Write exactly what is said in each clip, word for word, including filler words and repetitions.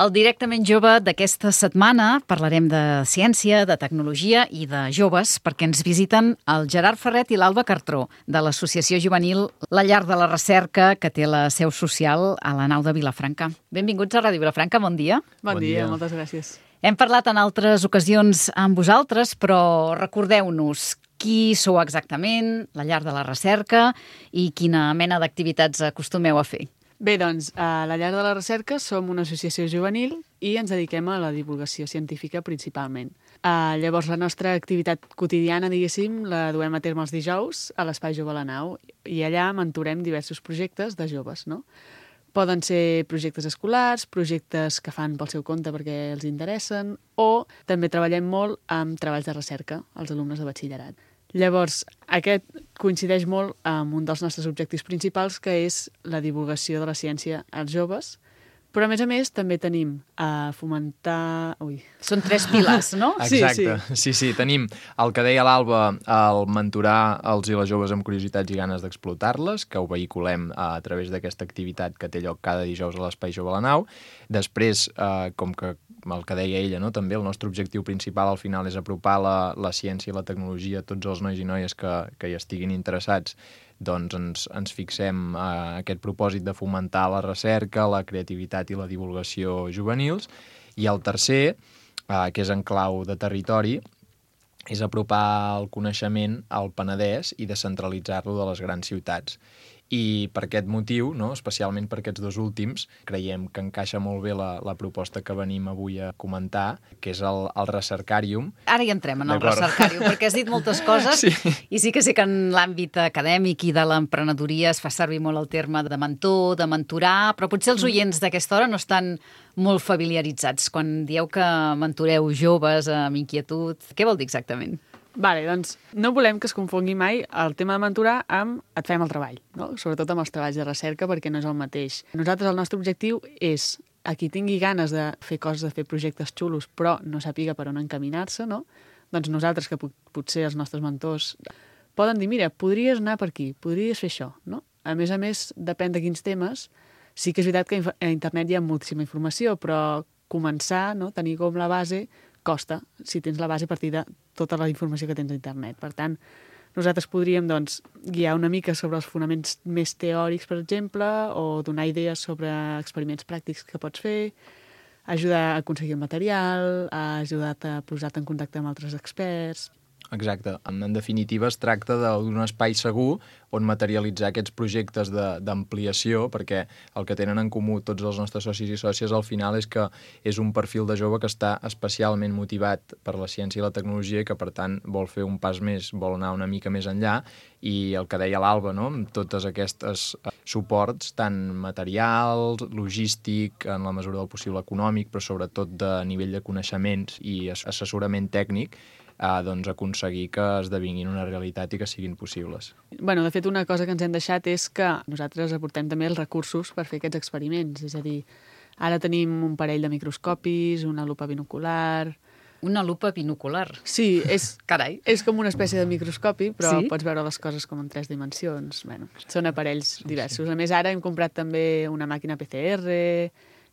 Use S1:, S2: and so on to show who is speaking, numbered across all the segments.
S1: El Directament Jove d'aquesta setmana parlarem de ciència, de tecnologia i de joves, perquè ens visiten el Gerard Ferret i l'Alba Cartró, de l'associació juvenil La Llar de la Recerca, que té la seu social a la nau de Vilafranca. Benvinguts a Ràdio Vilafranca, bon dia.
S2: Bon, bon dia, dia, moltes gràcies.
S1: Hem parlat en altres ocasions amb vosaltres, però recordeu-nos qui sou exactament, la Llar de la Recerca, i quina mena d'activitats acostumeu a fer.
S2: Bé, doncs, a la Llar de la Recerca som una associació juvenil i ens dediquem a la divulgació científica principalment. Uh, llavors, la nostra activitat quotidiana, diguéssim, la duem a terme els dijous a l'Espai Jove a la Nau i allà mentorem diversos projectes de joves, no? Poden ser projectes escolars, projectes que fan pel seu compte perquè els interessen, o també treballem molt amb treballs de recerca als alumnes de batxillerat. Llavors, aquest coincideix molt amb un dels nostres objectius principals, que és la divulgació de la ciència als joves, però, a més a més, també tenim a fomentar... Ui.
S1: Són tres pilars, no?
S3: Exacte,
S2: sí, sí.
S3: sí, sí. Tenim el que deia l'Alba, el mentorar els i les joves amb curiositats i ganes d'explotar-les, que ho vehiculem a través d'aquesta activitat que té lloc cada dijous a l'Espai Jove a la Nau. Després, eh, com que el que deia ella, no? També el nostre objectiu principal al final és apropar la, la ciència i la tecnologia a tots els nois i noies que, que hi estiguin interessats. Doncs ens, ens fixem a aquest propòsit de fomentar la recerca, la creativitat i la divulgació juvenils. I el tercer, eh, que és en clau de territori, és apropar el coneixement al Penedès i descentralitzar-lo de les grans ciutats. I per aquest motiu, no, especialment per aquests dos últims, creiem que encaixa molt bé la, la proposta que venim avui a comentar, que és el, el Recercarium.
S1: Ara hi entrem en el Recercarium, perquè has dit moltes coses, sí. I sí que sé que en l'àmbit acadèmic i de l'emprenedoria es fa servir molt el terme de mentor, de mentorar, però potser els oients d'aquesta hora no estan molt familiaritzats. Quan dieu que mentoreu joves amb inquietud, què vol dir exactament?
S2: Vale, doncs no volem que es confongui mai el tema de mentorar amb et fem el treball, no? Sobretot amb els treballs de recerca, perquè no és el mateix. Nosaltres, el nostre objectiu és a qui tingui ganes de fer coses, de fer projectes xulos, però no sàpiga per on encaminar-se, no? Doncs nosaltres, que potser els nostres mentors poden dir, mira, podries anar per aquí, podries fer això, no? A més a més, depèn de quins temes. Sí que és veritat que a internet hi ha moltíssima informació, però començar, no? Tenir com la base costa, si tens la base a partir de tota la informació que tens a internet. Per tant, nosaltres podríem doncs, guiar una mica sobre els fonaments més teòrics, per exemple, o donar idees sobre experiments pràctics que pots fer, ajudar a aconseguir el material, a ajudar-te a posar-te en contacte amb altres experts.
S3: Exacte. En definitiva, es tracta d'un espai segur on materialitzar aquests projectes d'ampliació, perquè el que tenen en comú tots els nostres socis i sòcies al final és que és un perfil de jove que està especialment motivat per la ciència i la tecnologia i que, per tant, vol fer un pas més, vol anar una mica més enllà, i el que deia l'Alba, no? Amb totes aquestes suports, tant materials, logístic, en la mesura del possible econòmic, però sobretot de nivell de coneixements i assessorament tècnic, a doncs, aconseguir que esdevinguin una realitat i que siguin possibles.
S2: Bueno, de fet, una cosa que ens hem deixat és que nosaltres aportem també els recursos per fer aquests experiments. És a dir, ara tenim un parell de microscopis, una lupa binocular...
S1: Una lupa binocular?
S2: Sí, és,
S1: Carai.
S2: És com una espècie de microscopi, però
S1: sí?
S2: Pots veure les coses com en tres dimensions. Bueno, són aparells diversos. A més, ara hem comprat també una màquina P C R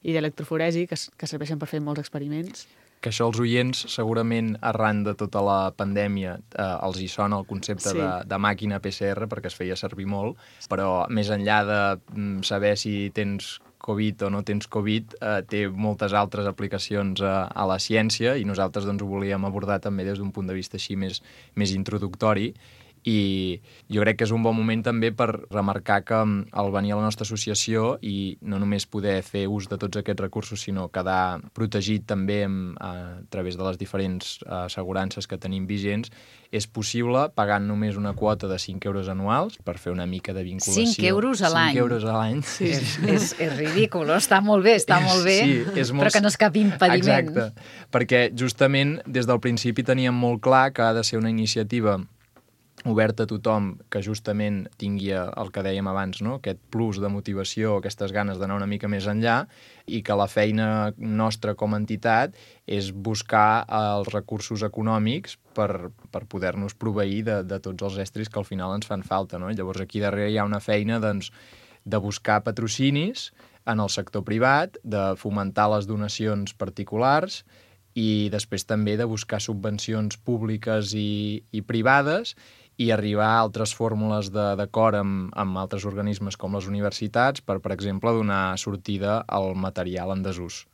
S2: i d'electroforesi que, que serveixen per fer molts experiments.
S3: Que això els oients, segurament, arran de tota la pandèmia, eh, els hi sona el concepte sí. de, de màquina P C R, perquè es feia servir molt, però més enllà de mm, saber si tens Covid o no tens Covid, eh, té moltes altres aplicacions a, a la ciència i nosaltres doncs, ho volíem abordar també des d'un punt de vista així més, més introductori. I jo crec que és un bon moment també per remarcar que al venir a la nostra associació i no només poder fer ús de tots aquests recursos, sinó quedar protegit també a través de les diferents assegurances que tenim vigents, és possible pagant només una quota de cinc euros anuals per fer una mica de vinculació.
S1: cinc euros a l'any?
S3: cinc euros a l'any.
S1: Sí. És, és, és ridícul, està molt bé, està molt bé,
S3: sí, és molt...
S1: però que no és cap impediment.
S3: Exacte, perquè justament des del principi teníem molt clar que ha de ser una iniciativa oberta a tothom que justament tingui el que dèiem abans, no? Aquest plus de motivació, aquestes ganes d'anar una mica més enllà, i que la feina nostra com a entitat és buscar els recursos econòmics per, per poder-nos proveir de, de tots els estris que al final ens fan falta, no? Llavors aquí darrere hi ha una feina doncs, de buscar patrocinis en el sector privat, de fomentar les donacions particulars i després també de buscar subvencions públiques i, i privades i arribar a altres fórmules d'acord amb, amb altres organismes com les universitats per, per exemple, donar sortida al material en desús.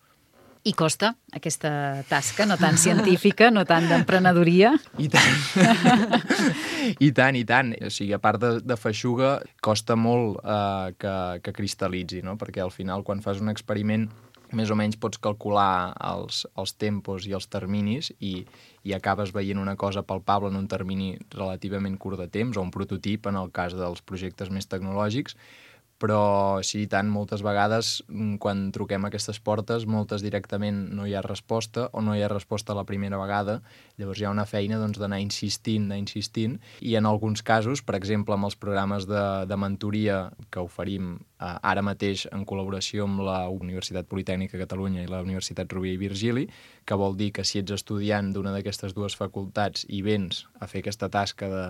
S1: I costa aquesta tasca, no tan científica, no tant d'emprenedoria?
S3: I tant. I tant, i tant. O sigui, a part de, de feixuga, costa molt eh, que, que cristal·litzi, no? Perquè al final, quan fas un experiment, més o menys pots calcular els, els tempos i els terminis i, i acabes veient una cosa palpable en un termini relativament curt de temps, o un prototip en el cas dels projectes més tecnològics, però sí, i tant, moltes vegades quan truquem a aquestes portes, moltes directament no hi ha resposta o no hi ha resposta la primera vegada, llavors hi ha una feina doncs, d'anar insistint, d'anar insistint, i en alguns casos, per exemple, amb els programes de, de mentoria que oferim eh, ara mateix en col·laboració amb la Universitat Politècnica de Catalunya i la Universitat Rovira i Virgili, que vol dir que si ets estudiant d'una d'aquestes dues facultats i vens a fer aquesta tasca de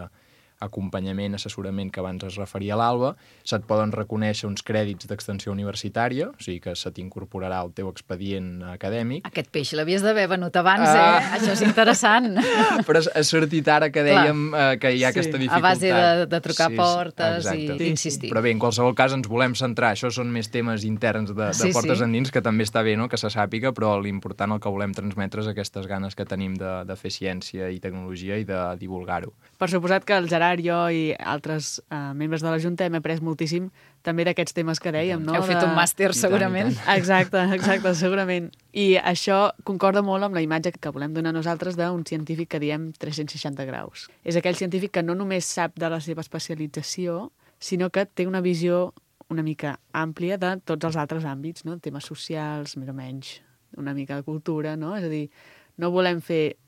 S3: acompanyament, assessorament que abans es referia a l'Alba, se't poden reconèixer uns crèdits d'extensió universitària, o sigui que se t'incorporarà al teu expedient acadèmic.
S1: Aquest peix l'havies d'haver venut abans, eh? Ah. Això és interessant.
S3: Però ha sortit ara que dèiem eh, que hi ha sí, aquesta dificultat.
S1: A base de, de trucar sí, portes i insistir.
S3: Però bé, en qualsevol cas ens volem centrar, això són més temes interns de, de sí, portes sí. endins, que també està bé no? que se sàpiga, però l'important el que volem transmetre és aquestes ganes que tenim de, de fer ciència i tecnologia i de divulgar-ho.
S2: Per suposat que el Gerard, jo i altres uh, membres de la Junta hem après moltíssim també d'aquests temes que dèiem, no?
S1: Heu fet
S2: de...
S1: un màster, segurament.
S2: I tant, i tant. Exacte, exacte, segurament. I això concorda molt amb la imatge que volem donar nosaltres d'un científic que diem tres-cents seixanta graus. És aquell científic que no només sap de la seva especialització, sinó que té una visió una mica àmplia de tots els altres àmbits, no? Temes socials, més o menys, una mica de cultura, no? És a dir, no volem fer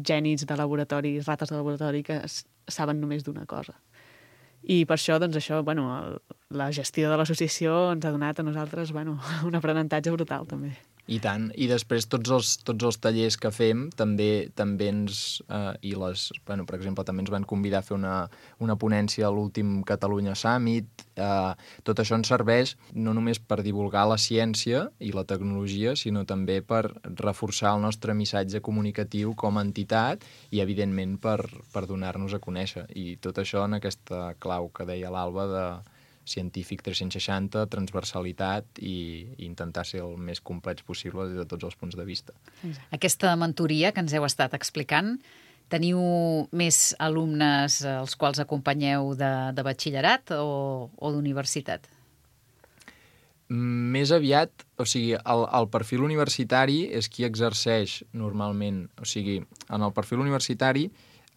S2: genis de laboratori, rates de laboratori que saben només d'una cosa. I per això, doncs això, bueno, el, la gestió de l'associació ens ha donat a nosaltres, bueno, un aprenentatge brutal, també.
S3: I tant. I després tots els, tots els tallers que fem també també ens... Eh, i les, bueno, per exemple, també ens van convidar a fer una, una ponència a l'últim Catalunya Summit. Eh, tot això ens serveix no només per divulgar la ciència i la tecnologia, sinó també per reforçar el nostre missatge comunicatiu com a entitat i, evidentment, per, per donar-nos a conèixer. I tot això en aquesta clau que deia l'Alba de científic tres-cents seixanta, transversalitat i, i intentar ser el més complets possible des de tots els punts de vista.
S1: Aquesta mentoria que ens heu estat explicant, teniu més alumnes als quals acompanyeu de, de batxillerat o, o d'universitat?
S3: Més aviat, o sigui, el, el perfil universitari és qui exerceix normalment. O sigui, en el perfil universitari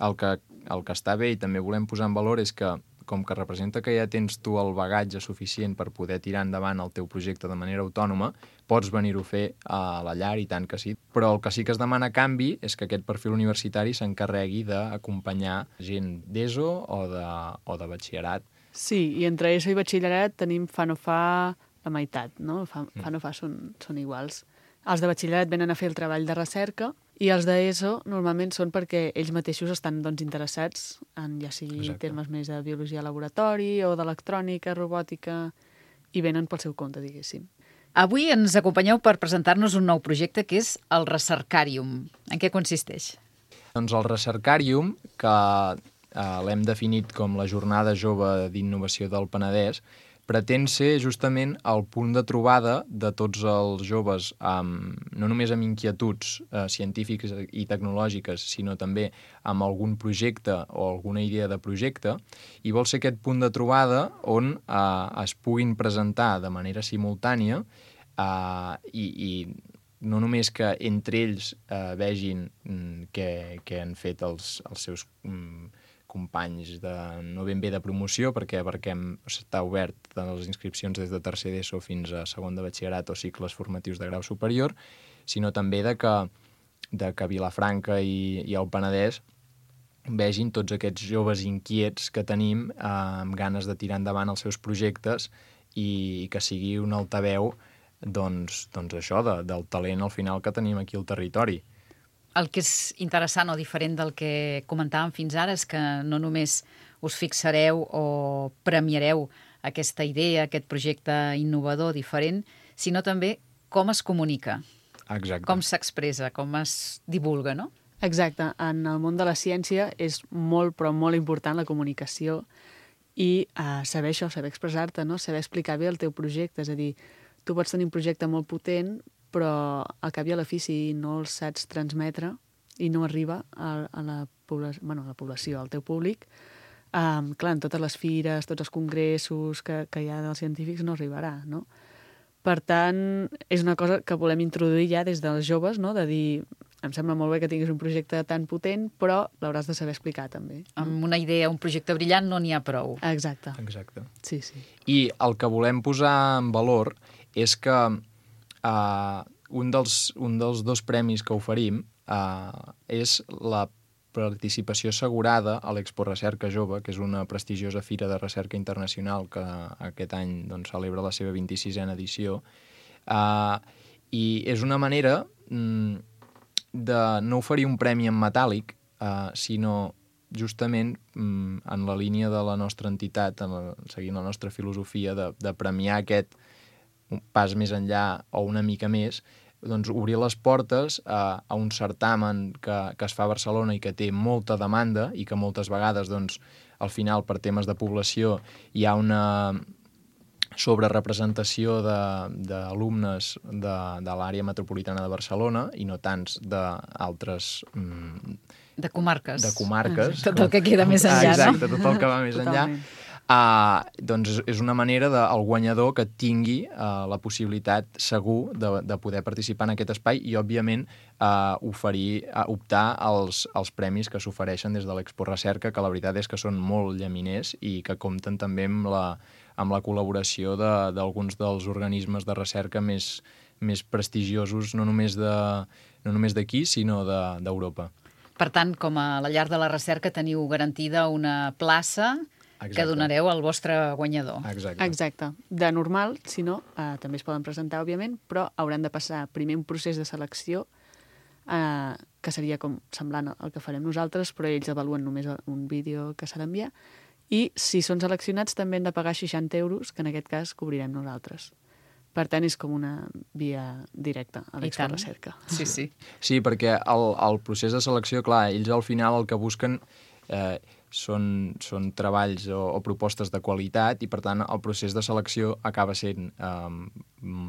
S3: el que, el que està bé i també volem posar en valor és que com que representa que ja tens tu el bagatge suficient per poder tirar endavant el teu projecte de manera autònoma, pots venir-ho a fer a la llar, i tant que sí. Però el que sí que es demana a canvi és que aquest perfil universitari s'encarregui d'acompanyar gent d'ESO o de, o de batxillerat.
S2: Sí, i entre ESO i batxillerat tenim fa no fa la meitat, no? Fa, fa no fa són, són iguals. Els de batxillerat venen a fer el treball de recerca i els d'ESO normalment són perquè ells mateixos estan doncs, interessats en ja sigui Exacte. termes més de biologia de laboratori o d'electrònica, robòtica, i venen pel seu compte, diguéssim.
S1: Avui ens acompanyeu per presentar-nos un nou projecte que és el Recercàrium. En què consisteix?
S3: Doncs el Recercàrium, que eh, l'hem definit com la Jornada Jove d'Innovació del Penedès, pretén ser justament el punt de trobada de tots els joves, amb, no només amb inquietuds eh, científiques i tecnològiques, sinó també amb algun projecte o alguna idea de projecte, i vol ser aquest punt de trobada on eh, es puguin presentar de manera simultània eh, i, i no només que entre ells eh, vegin mm, què, què han fet els, els seus mm, companys de, no ben bé de promoció, perquè perquè està obert de les inscripcions des de tercer d'ESO fins a segon de batxillerat o cicles formatius de grau superior, sinó també de que, de que Vilafranca i, i el Penedès vegin tots aquests joves inquiets que tenim eh, amb ganes de tirar endavant els seus projectes i, i que sigui un altaveu doncs, doncs això, de, del talent al final que tenim aquí al territori.
S1: El que és interessant o diferent del que comentàvem fins ara és que no només us fixareu o premiareu aquesta idea, aquest projecte innovador, diferent, sinó també com es comunica,
S3: Exacte.
S1: com s'expressa, com es divulga, no?
S2: Exacte. En el món de la ciència és molt, però molt important la comunicació i uh, saber això, saber expressar-te, no? Saber explicar bé el teu projecte. És a dir, tu pots tenir un projecte molt potent, però al cap i a la fi, si no el saps transmetre i no arriba a, a, la, població, bueno, a la població, al teu públic, um, clar, en totes les fires, tots els congressos que, que hi ha dels científics no arribarà, no? Per tant, és una cosa que volem introduir ja des dels joves, no? De dir, em sembla molt bé que tinguis un projecte tan potent, però l'hauràs de saber explicar també.
S1: Amb una idea, un projecte brillant, no n'hi ha prou.
S2: Exacte.
S3: Exacte.
S2: Sí, sí.
S3: I el que volem posar en valor és que uh, un, dels, un dels dos premis que oferim uh, és la participació assegurada a l'Expo Recerca Jove, que és una prestigiosa fira de recerca internacional que aquest any doncs, celebra la seva vint-i-sisena edició. Uh, I és una manera mm, de no oferir un premi en metàl·lic, uh, sinó justament mm, en la línia de la nostra entitat, en la, seguint la nostra filosofia de, de premiar aquest pas més enllà o una mica més, doncs obrir les portes a, a un certamen que, que es fa a Barcelona i que té molta demanda i que moltes vegades, doncs, al final, per temes de població, hi ha una sobrerepresentació d'alumnes de, de, de l'àrea metropolitana de Barcelona i no tants d'altres... Mm,
S1: de comarques.
S3: De comarques.
S1: Tot el que queda més enllà,
S3: ah, exacte,
S1: no?
S3: tot el que va més enllà. Uh, doncs és una manera del guanyador que tingui uh, la possibilitat segur de, de poder participar en aquest espai i, òbviament, uh, oferir, uh, optar als, als premis que s'ofereixen des de l'Expo Recerca, que la veritat és que són molt llaminers i que compten també amb la, amb la col·laboració d'alguns de, dels organismes de recerca més, més prestigiosos, no només de, no només d'aquí, sinó d'Europa.
S1: Per tant, com a la llar de la recerca, teniu garantida una plaça Exacte. Que donareu al vostre guanyador.
S3: Exacte.
S2: Exacte. De normal, si no, eh, també es poden presentar, òbviament, però hauran de passar primer un procés de selecció eh, que seria com semblant al que farem nosaltres, però ells avaluen només un vídeo que s'ha d'enviar, i si són seleccionats també han de pagar seixanta euros, que en aquest cas cobrirem nosaltres. Per tant, és com una via directa a l'Expo Recerca.
S1: Sí, sí.
S3: Sí, perquè el, el procés de selecció, clar, ells al final el que busquen eh, són, són treballs o, o propostes de qualitat i, per tant, el procés de selecció acaba sent eh,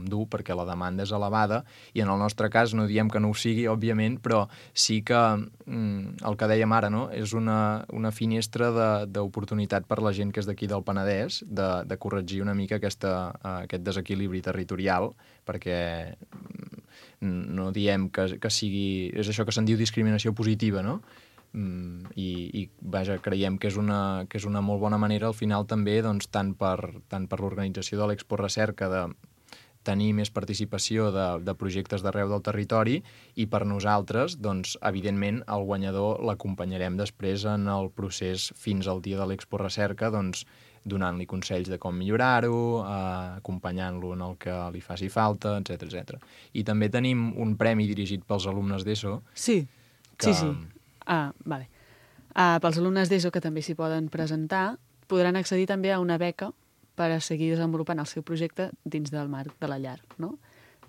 S3: dur perquè la demanda és elevada i, en el nostre cas, no diem que no ho sigui, òbviament, però sí que mm, el que dèiem ara, no?, és una, una finestra d'oportunitat per la gent que és d'aquí del Penedès de, de corregir una mica aquesta, uh, aquest desequilibri territorial, perquè no diem que, que sigui... És això que se'n diu discriminació positiva, no?, Mm, i, i vaja, creiem que és, una, que és una molt bona manera al final també, doncs, tant per, tant per l'organització de l'Expo Recerca de tenir més participació de, de projectes d'arreu del territori i per nosaltres, doncs, evidentment, el guanyador l'acompanyarem després en el procés fins al dia de l'Expo Recerca, doncs, donant-li consells de com millorar-ho, eh, acompanyant-lo en el que li faci falta, etcètera etcètera. I també tenim un premi dirigit pels alumnes d'ESO.
S2: Sí,
S3: que...
S2: sí, sí. Ah, vale. Ah, pels alumnes d'ESO que també s'hi poden presentar, podran accedir també a una beca per a seguir desenvolupant el seu projecte dins del marc de la llar, no?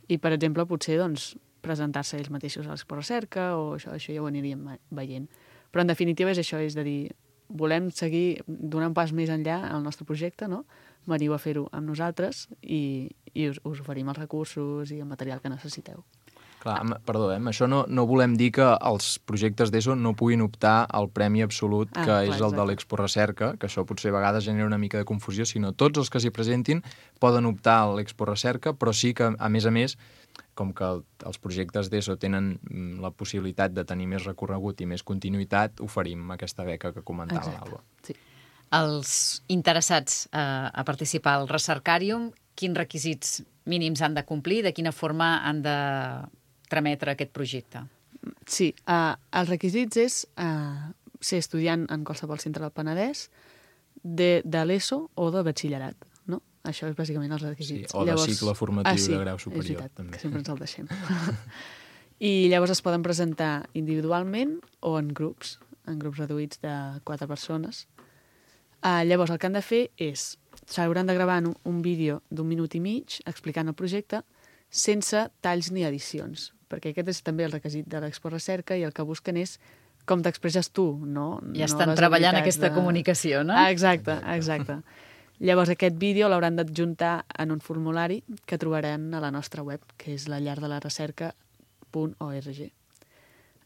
S2: I, per exemple, potser doncs, presentar-se ells mateixos a l'Expo Recerca o això, això ja ho aniríem veient. Però, en definitiva, és això, és de dir, volem seguir donant un pas més enllà al nostre projecte, no? Veniu a fer-ho amb nosaltres i, i us, us oferim els recursos i el material que necessiteu.
S3: Clar, perdó, eh? Això no, no volem dir que els projectes d'ESO no puguin optar al premi absolut, que ah, és clar, el de l'Expo Recerca, que això potser a vegades genera una mica de confusió, sinó tots els que s'hi presentin poden optar a l'Expo Recerca, però sí que, a més a més, com que els projectes d'ESO tenen la possibilitat de tenir més recorregut i més continuïtat, oferim aquesta beca que comentava l'Alba.
S2: Sí.
S1: Els interessats eh, a participar al Recercàrium, quins requisits mínims han de complir, de quina forma han de trametre aquest projecte?
S2: Sí, uh, els requisits és uh, ser estudiant en qualsevol centre del Penedès, de, de l'ESO o de batxillerat, no? Això és bàsicament els requisits.
S3: Sí, o llavors... de cicle formatiu ah, sí, de grau superior.
S2: És veritat,
S3: també.
S2: Que sempre ens el deixem. I llavors es poden presentar individualment o en grups, en grups reduïts de quatre persones. Uh, llavors el que han de fer és s'hauran de gravar un, un vídeo d'un minut i mig explicant el projecte sense talls ni edicions, perquè aquest és també el requisit de l'Expo Recerca i el que busquen és com t'expresses tu, no?
S1: Ja estan no treballant aquesta de... comunicació, no?
S2: Ah, exacte, exacte. Llavors aquest vídeo l'hauran d'adjuntar en un formulari que trobaran a la nostra web, que és la llar de la recerca punt org.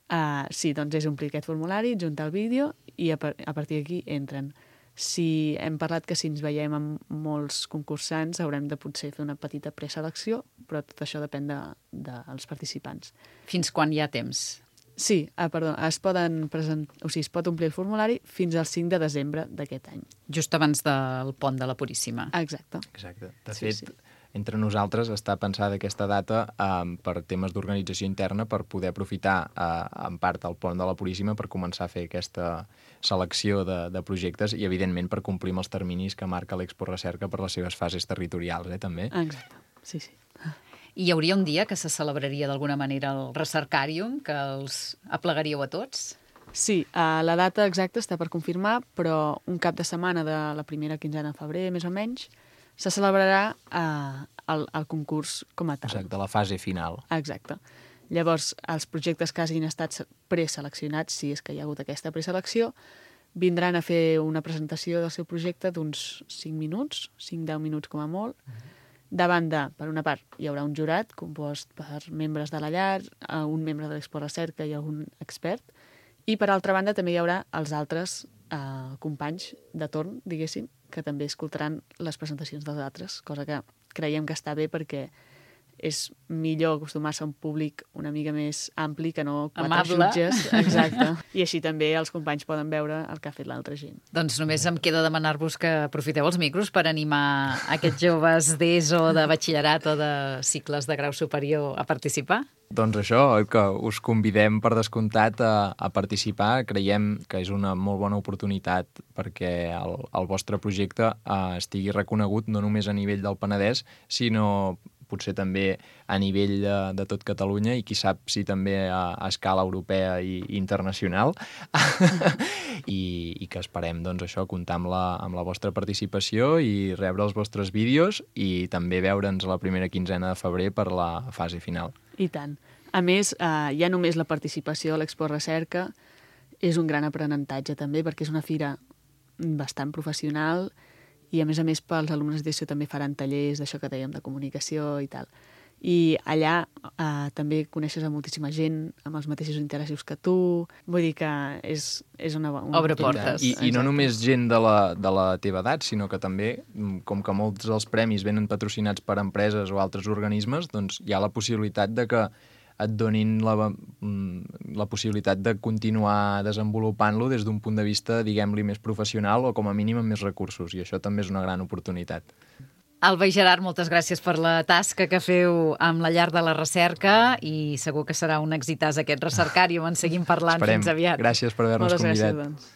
S2: Uh, sí, doncs és omplir aquest formulari, adjuntar el vídeo i a, par a partir d'aquí entren. Si hem parlat que si ens veiem amb molts concursants haurem de potser fer una petita preselecció, però tot això depèn de, dels participants.
S1: Fins quan hi ha temps?
S2: Sí, ah, perdó, es, poden present... o sigui, es pot omplir el formulari fins al cinc de desembre d'aquest any.
S1: Just abans del pont de la Puríssima.
S2: Exacte.
S3: Exacte. De
S2: sí,
S3: fet,
S2: sí.
S3: entre nosaltres està pensada aquesta data um, per temes d'organització interna per poder aprofitar uh, en part el pont de la Puríssima per començar a fer aquesta selecció de, de projectes i, evidentment, per complir amb els terminis que marca l'Expo Recerca per les seves fases territorials, eh, també.
S2: Exacte, sí, sí.
S1: I hi hauria un dia que se celebraria d'alguna manera el Recercàrium, que els aplegaríeu a tots?
S2: Sí, uh, la data exacta està per confirmar, però un cap de setmana de la primera quinzena de febrer, més o menys, se celebrarà uh, el, el concurs com a tal.
S3: Exacte, la fase final.
S2: Exacte. Llavors, els projectes que hagin estat preseleccionats, si és que hi ha hagut aquesta preselecció, vindran a fer una presentació del seu projecte d'uns cinc minuts, cinc a deu minuts com a molt. Mm-hmm. Davant de, per una part, hi haurà un jurat compost per membres de la llar, un membre de l'Expo Recerca i algun expert, i per altra banda també hi haurà els altres eh, companys de torn, diguéssim, que també escoltaran les presentacions dels altres, cosa que creiem que està bé perquè és millor acostumar-se a un públic una mica més ampli que no quatre
S1: amable.
S2: Jutges. Exacte. I així també els companys poden veure el que ha fet l'altra gent.
S1: Doncs només em queda demanar-vos que aprofiteu els micros per animar aquests joves d'ESO, de batxillerat o de cicles de grau superior a participar.
S3: Doncs això, que us convidem per descomptat a, a participar. Creiem que és una molt bona oportunitat perquè el, el vostre projecte eh, estigui reconegut no només a nivell del Penedès, sinó potser també a nivell de, de tot Catalunya i qui sap si també a, a escala europea i, i internacional. I, i que esperem doncs, això, comptar amb la, amb la vostra participació i rebre els vostres vídeos i també veure'ns la primera quinzena de febrer per la fase final.
S2: I tant. A més, eh, ja només la participació a l'Expo Recerca és un gran aprenentatge també perquè és una fira bastant professional i, a més a més, pels alumnes d'ESO també faran tallers d'això que dèiem, de comunicació i tal. I allà eh, també coneixes a moltíssima gent amb els mateixos interessos que tu. Vull dir que és, és una... una
S1: Obre portes.
S3: I, I no només gent de la, de la teva edat, sinó que també, com que molts dels premis venen patrocinats per empreses o altres organismes, doncs hi ha la possibilitat de que et donin la, la possibilitat de continuar desenvolupant-lo des d'un punt de vista, diguem-li, més professional o com a mínim amb més recursos, i això també és una gran oportunitat.
S1: Alba i Gerard, moltes gràcies per la tasca que feu amb la llar de la recerca i segur que serà un exitàs aquest recercàrium. En seguim parlant.
S3: Esperem.
S1: Fins aviat.
S3: Gràcies per haver-nos convidat.
S2: Moltes gràcies, doncs.